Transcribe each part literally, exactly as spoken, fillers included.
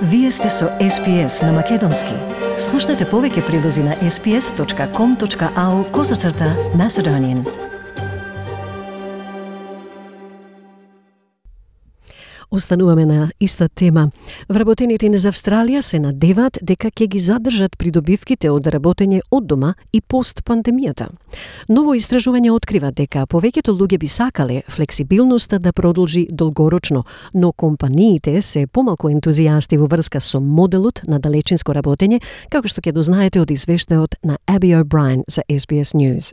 Вие сте со Ес Би Ес на Македонски. Слушнете повеќе прилози на ес би ес точка ком точка ау козацрта Macedonian. Остануваме на иста тема. Вработените низ Австралија се надеваат дека ќе ги задржат придобивките од работење од дома и пост пандемијата. Ново истражување открива дека повеќето луѓе би сакале флексибилноста да продолжи долгорочно, но компаниите се помалку ентузијасти во врска со моделот на далечинско работење, како што ќе дознаете од извештајот на Аби О'Брајен за Ес Би Ес News.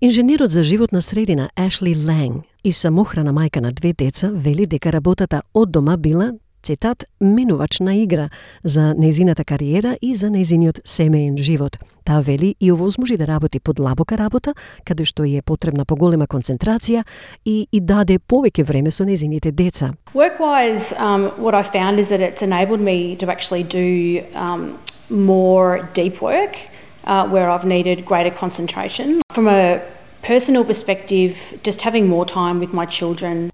Инженерот за животна средина Ашли Ланг и самохрана мајка на две деца вели дека работата од дома била, цитат, менувачна игра за нејзината кариера и за нејзиниот семеен живот. Таа вели и овозможи да работи подлабока работа, каде што е потребна поголема концентрација и, и даде повеќе време со нејзините деца. Work-wise, um, what I found is that it's enabled me to actually do um, more deep work. Uh, where I've needed greater concentration. From a personal perspective, just having more time with my children.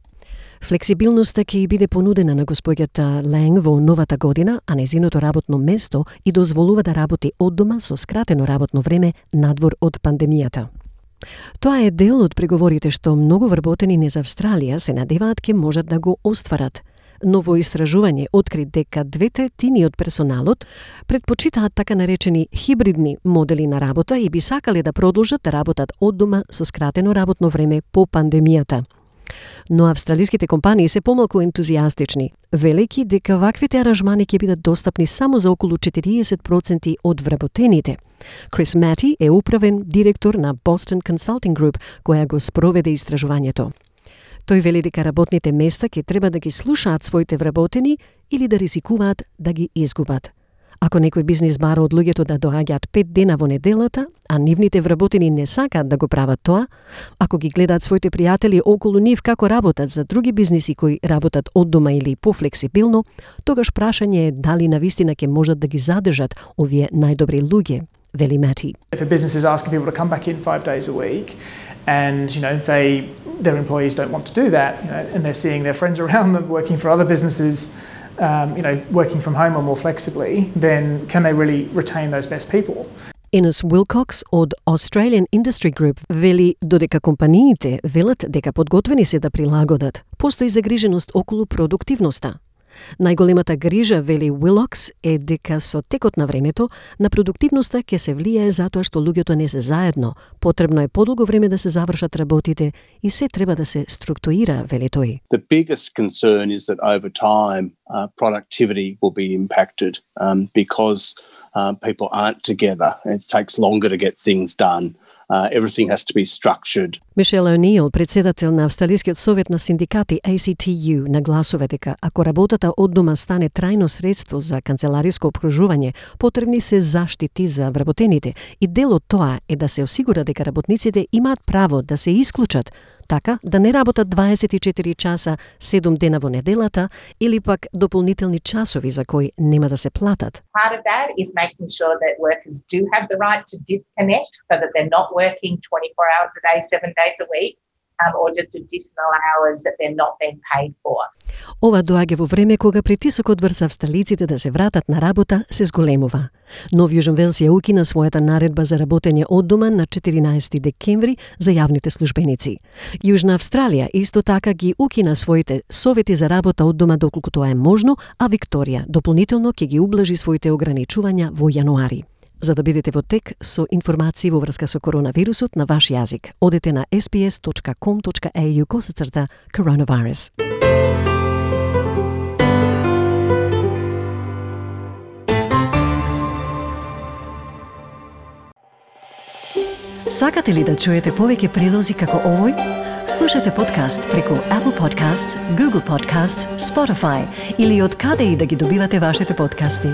Флексибилноста ќе биде понудена на господјата Ланг во новата година, а нејзиното работно место и дозволува да работи од дома со скратено работно време надвор од пандемијата. Тоа е дел од преговорите што многу вработени низ Австралија се надеваат ке можат да го остварат. Ново истражување откри дека две третини од персоналот предпочитаат така наречени хибридни модели на работа и би сакале да продолжат да работат од дома со скратено работно време по пандемијата. Но австралиските компании се помалку ентузијастични, велејќи дека ваквите аранжмани ќе бидат достапни само за околу четириесет проценти од вработените. Крис Мати е управен директор на Boston Consulting Group, која го спроведе истражувањето. Тој вели дека работните места ќе треба да ги слушаат своите вработени или да ризикуваат да ги изгубат. Ако некој бизнис бара од луѓето да доаѓаат пет дена во неделата, а нивните вработени не сакаат да го прават тоа, ако ги гледаат своите пријатели околу нив како работат за други бизниси кои работат од дома или пофлексибилно, тогаш прашање е дали навистина ќе можат да ги задржат овие најдобри луѓе. Veli Mati. If a business is asking people to come back in five days a week, and you know they their employees don't want to do that, you know, and they're seeing their friends around them working for other businesses, um, you know, working from home or more flexibly, then can they really retain those best people? Ines Wilcox од Australian Industry Group вели додека компаниите велат дека подготвени се да прилагодат, постои загриженост околу продуктивноста. Најголемата грижа, вели Wilcox, е дека со текот на времето на продуктивноста ќе се влијае затоа што луѓето не се заедно. Потребно е подолго време да се завршат работите и се треба да се структурира, вели тој. The biggest concern is that over time uh, productivity will be impacted um, because uh, people aren't together. It takes longer to get things done. Uh, everything has to be structured. Мишел О'Нил, председател на Австралискиот совет на синдикати А Си Ти Ю, нагласува дека ако работата од дома стане трајно средство за канцелариско обкружување, потребни се заштити за вработените и дел од тоа е да се осигура дека работниците имаат право да се исклучат, така да не работат дваесет и четири часа седум дена во неделата или пак дополнителни часови за кои нема да се платат. Part of that is making sure that workers do have the right to disconnect so that they're not working twenty-four hours a day, seven days a week. Um, or just additional hours that they're not being paid for. Ова доаѓа во време кога притисокот врз австралиците да се вратат на работа се зголемува. Нов Јужен Велс ја укина својата наредба за работење од дома на четиринаесети декември за јавните службеници. Јужна Австралија исто така ги укина своите совети за работа од дома доколку тоа е можно, а Викторија дополнително ќе ги ублажи своите ограничувања во јануари. За да бидете во тек со информации во врска со коронавирусот на ваш јазик, одете на ес би ес точка ком точка ей ю косацрта коронавирус. Сакате ли да чуете повеќе прилози како овој? Слушате подкаст преку Apple Podcasts, Google Podcasts, Spotify или од каде и да ги добивате вашите подкасти.